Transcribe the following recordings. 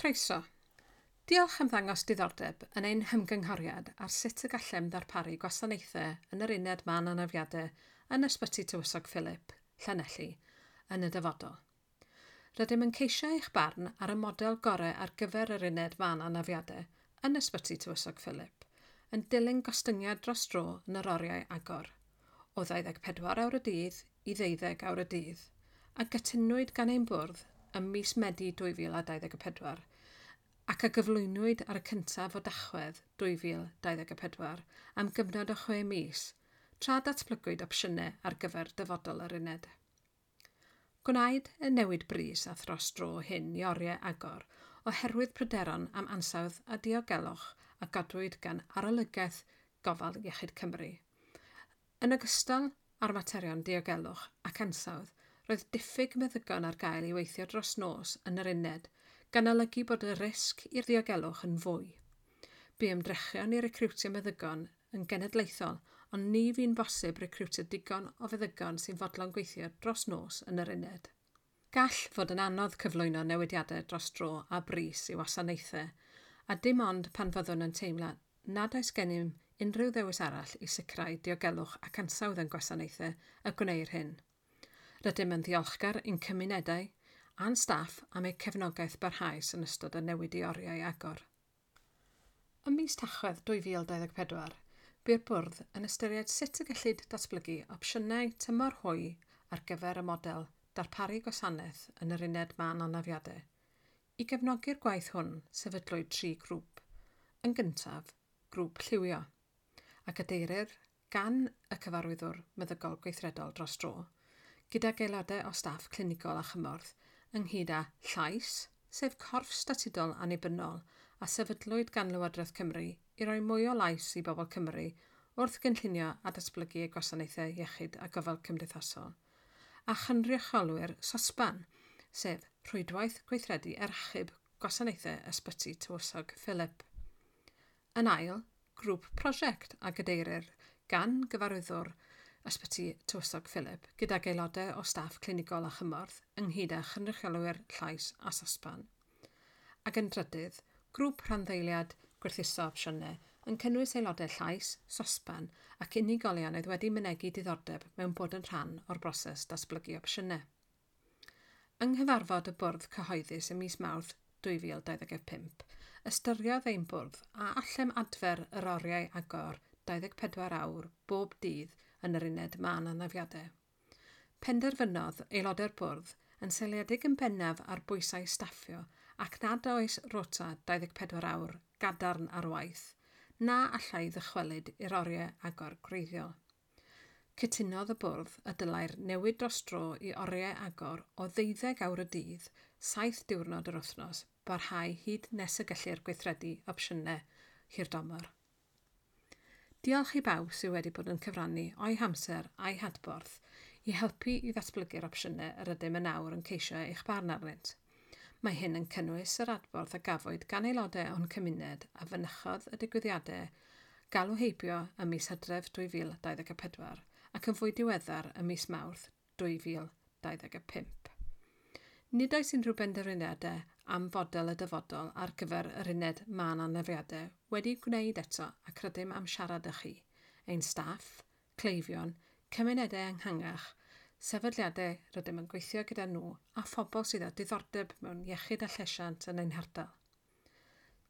Croeso. Diolch am ddangos diddordeb yn ein hymgynghoriad ar sut y gallem ddarparu gwasanaethau yn yr uned mân anafiadau yn Ysbyty Tywysog Philip, Llanelli, yn y dyfodol. Rydym yn ceisio eich barn ar y model gorau ar gyfer yr uned mân anafiadau yn Ysbyty Tywysog Philip, yn dilyn gostyngiad dros dro yn yr oriau agor, o 24 awr y dydd i 12 awr y dydd, a gytunwyd gan ein bwrdd ym mis Medi 2024 ac a gyflwynwyd ar y cyntaf o Dachwedd 2024 am gyfnod o 6 mis, tra datblygwyd opsiynau ar gyfer dyfodol yr uned. Gwnaed y newid brys a thros dro hyn i oriau agor oherwydd pryderon am ansawdd a diogelwch a godwyd gan Arolygaeth Gofal Iechyd Cymru. Yn ogystal â'r materion diogelwch ac ansawdd, roedd diffyg meddygon ar gael i weithio dros nos yn yr uned, gan olygu bod y risg i'r ddiogelwch yn fwy. Bu ymdrechion i recriwtio meddygon yn genedlaethol, ond ni fu'n bosib recriwtio digon o feddygon sy'n fodlon gweithio dros nos yn yr uned. Gall fod yn anodd cyflwyno newidiadau dros dro a brys i wasanaethau, a dim ond pan fyddwn yn teimlo nad oes gennym unrhyw ddewis arall i sicrhau diogelwch ac ansawdd yn gwasanaethau y gwneir hyn. Rydym yn ddiolchgar i'n cymunedau a'n staff am eu cefnogaeth barhaus yn ystod y newid i oriau agor. Ym mis Tachwedd 2024, bu'r bwrdd yn ystyried sut y gellid datblygu opsiynau tymor hwy ar gyfer y model darparu gwasanaeth yn yr uned mân anafiadau. I gefnogi'r gwaith hwn, sefydlwyd tri grŵp. Yn gyntaf, grŵp lliwio, a gadeirir gan y cyfarwyddwr meddygol gweithredol dros dro, gydag aelodau o staff clinigol a chymorth, ynghyd â Llais, sef corff statudol annibynnol a sefydlwyd gan Lywodraeth Cymru i roi mwy o lais i bobl Cymru wrth gynllunio a datblygu eu gwasanaethau iechyd a gofal cymdeithasol, a chynrychiolwyr SOSBAN, sef Rhwydwaith Gweithredu er Achub Gwasanaethau Ysbyty Tywysog Philip. Yn ail, grŵp prosiect a gadeirir gan gyfarwyddwr Ysbyty Tywysog Philip gydag aelodau o staff clinigol a chymorth ynghyd â chynrychiolwyr Llais a SOSBAN. Ac yn drydydd, grŵp rhanddeiliad gwerthuso opsiynau yn cynnwys aelodau Llais, SOSBAN ac unigolion oedd wedi mynegi diddordeb mewn bod yn rhan o'r broses datblygu opsiynau. Yng nghyfarfod y bwrdd cyhoeddus ym mis Mawrth 2025, ystyriodd ein bwrdd a allem adfer yr oriau agor 24 awr bob dydd yn yr uned mân anafiadau. Penderfynodd aelodau'r bwrdd yn seiliedig yn bennaf ar bwysau staffio ac nad oes rota 24 awr gadarn ar waith, na allai ddychwelyd i'r oriau agor gwreiddiol. Cytunodd y bwrdd y dylai'r newid dros dro i oriau agor o 12 awr y dydd, 7 diwrnod yr wythnos, barhau hyd nes y gellir gweithredu opsiynau hirdymor. Diolch i bawb sydd wedi bod yn cyfrannu o'i hamser a'i hadborth i helpu i ddatblygu'r opsiynau yr ydym yn awr yn ceisio eich barn arnynt. Mae hyn yn cynnwys yr adborth a gafwyd gan aelodau o'n cymuned a fynychodd y digwyddiadau galw heibio ym mis Hydref 2024 ac yn fwy diweddar ym mis Mawrth 2025. Nid oes unrhyw benderfyniadau am fodel y dyfodol ar gyfer yr uned mân anafiadau wedi gwneud eto ac rydym am siarad â chi, ein staff, cleifion, cymunedau ehangach, sefydliadau rydym yn gweithio gyda nhw a phobl sydd â diddordeb mewn iechyd a llesiant yn ein hardal.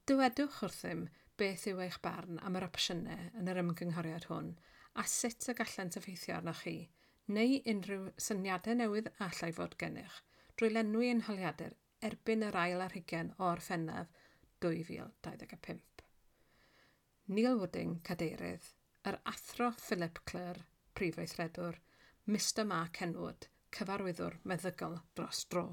Dywedwch wrthym beth yw eich barn am yr opsiynau yn yr ymgynghoriad hwn a sut y gallant effeithio arnoch chi, neu unrhyw syniadau newydd allai fod gennych, drwy lenwi ein holiadur erbyn yr ail ar hugain o Orffennaf 2025. Neil Wooding, cadeirydd, yr Athro Philip Clure, prif weithredwr, Mr Mark Henwood, cyfarwyddwr meddygol dros dro.